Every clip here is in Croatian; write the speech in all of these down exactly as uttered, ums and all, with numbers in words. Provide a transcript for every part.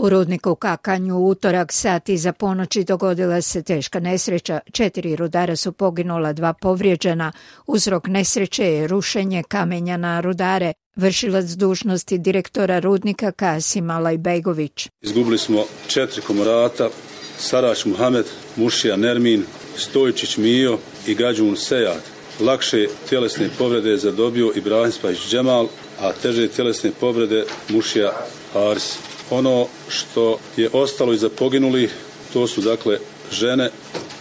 U rudniku u Kakanju u utorak sat iza ponoći dogodila se teška nesreća. Četiri rudara su poginula, dva povrijeđena. Uzrok nesreće je rušenje kamenja na rudare. Vršilac dužnosti direktora rudnika Kasim Alajbegović. Izgubili smo četiri komorata, Sarać Muhamed, Mušija Nermin, Stojčić Mijo i Gađun Sejad. Lakše tjelesne povrede zadobio Ibrahim Spajić Džemal, a teže tjelesne povrede Mušija Haris. Ono što je ostalo iza poginulih, to su dakle žene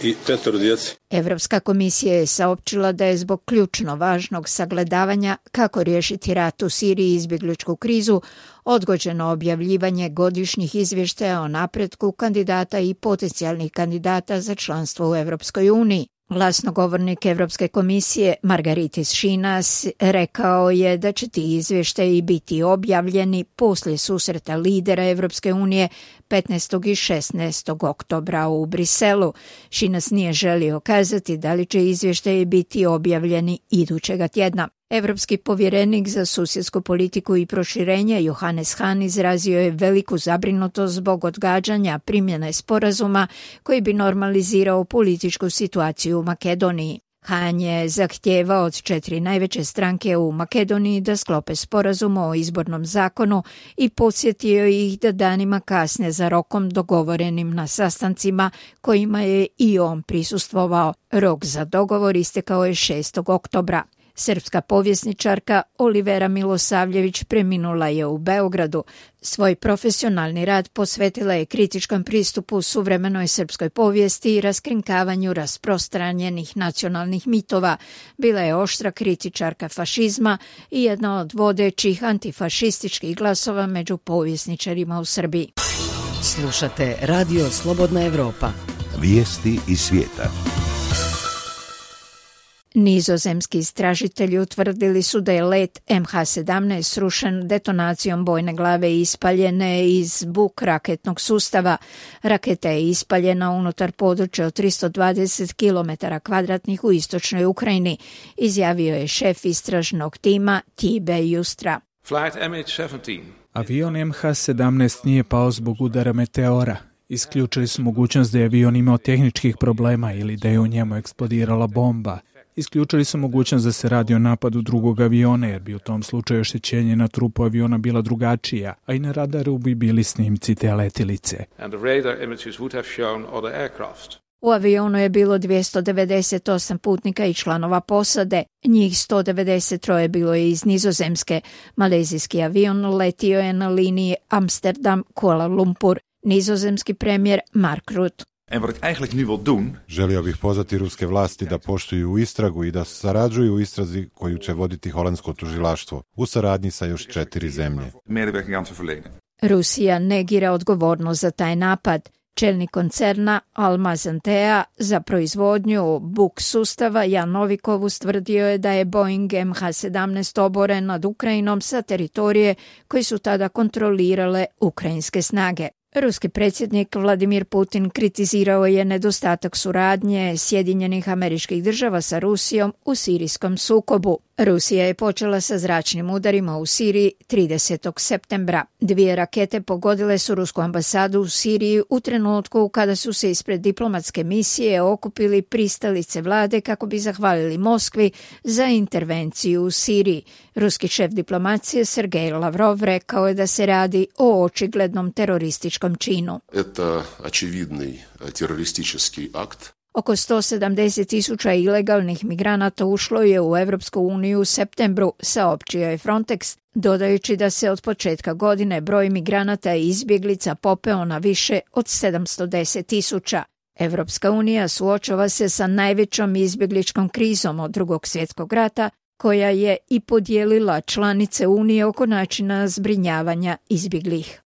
i petoro djece. Evropska komisija je saopćila da je zbog ključno važnog sagledavanja kako riješiti rat u Siriji i izbjegličku krizu odgođeno objavljivanje godišnjih izvještaja o napretku kandidata i potencijalnih kandidata za članstvo u Evropskoj uniji. Glasnogovornik Evropske komisije Margaritis Šinas rekao je da će ti izvještaji biti objavljeni poslije susreta lidera Evropske unije petnaestog i šesnaestog oktobra u Briselu. Šinas nije želio kazati da li će izvještaji biti objavljeni idućega tjedna. Evropski povjerenik za susjedsku politiku i proširenje Johannes Hahn izrazio je veliku zabrinutost zbog odgađanja primjene sporazuma koji bi normalizirao političku situaciju u Makedoniji. Hahn je zahtijevao od četiri najveće stranke u Makedoniji da sklope sporazum o izbornom zakonu i podsjetio ih da danima kasne za rokom dogovorenim na sastancima kojima je i on prisustvovao. Rok za dogovor istekao je šestog oktobra. Srpska povjesničarka Olivera Milosavljević preminula je u Beogradu. Svoj profesionalni rad posvetila je kritičkom pristupu suvremenoj srpskoj povijesti i raskrinkavanju rasprostranjenih nacionalnih mitova. Bila je oštra kritičarka fašizma i jedna od vodećih antifašističkih glasova među povjesničarima u Srbiji. Slušate Radio Slobodna Evropa. Vijesti iz svijeta. Nizozemski istražitelji utvrdili su da je let em ha sedamnaest srušen detonacijom bojne glave ispaljene iz Buk raketnog sustava. Raketa je ispaljena unutar područja od tristo dvadeset kilometara kvadratnih u istočnoj Ukrajini, izjavio je šef istražnog tima Tibe Justra. Avion em ha sedamnaest nije pao zbog udara meteora. Isključili su mogućnost da je avion imao tehničkih problema ili da je u njemu eksplodirala bomba. Isključili su mogućnost da se radi o napadu drugog aviona, jer bi u tom slučaju oštećenje na trupu aviona bila drugačija, a i na radaru bi bili snimci te letilice. U avionu je bilo dvjesto devedeset osam putnika i članova posade. Njih sto devedeset tri bilo je iz Nizozemske. Malezijski avion letio je na liniji Amsterdam-Kuala Lumpur. Nizozemski premijer Mark Rutte. En wat ik eigenlijk nu wil doen... Želio bih pozvati ruske vlasti da poštuju istragu i da sarađuju u istrazi koju će voditi holandsko tužilaštvo u saradnji sa još četiri zemlje. Rusija negira odgovornost za taj napad. Čelnik koncerna Almaz-Antea za proizvodnju Buk sustava Jan Novikov ustvrdio je da je Boeing em ha sedamnaest oboren nad Ukrajinom sa teritorije koji su tada kontrolirale ukrajinske snage. Ruski predsjednik Vladimir Putin kritizirao je nedostatak suradnje Sjedinjenih Američkih Država sa Rusijom u sirijskom sukobu. Rusija je počela sa zračnim udarima u Siriji tridesetog septembra. Dvije rakete pogodile su rusku ambasadu u Siriji u trenutku kada su se ispred diplomatske misije okupili pristalice vlade kako bi zahvalili Moskvi za intervenciju u Siriji. Ruski šef diplomacije Sergej Lavrov rekao je da se radi o očiglednom terorističkom činu. Это очевидный террористический акт. Oko sto sedamdeset tisuća ilegalnih migranata ušlo je u Evropsku uniju u septembru, saopćio je Frontex, dodajući da se od početka godine broj migranata i izbjeglica popeo na više od sedamsto deset tisuća. Evropska unija suočava se sa najvećom izbjegličkom krizom od drugog svjetskog rata, koja je i podijelila članice unije oko načina zbrinjavanja izbjeglih.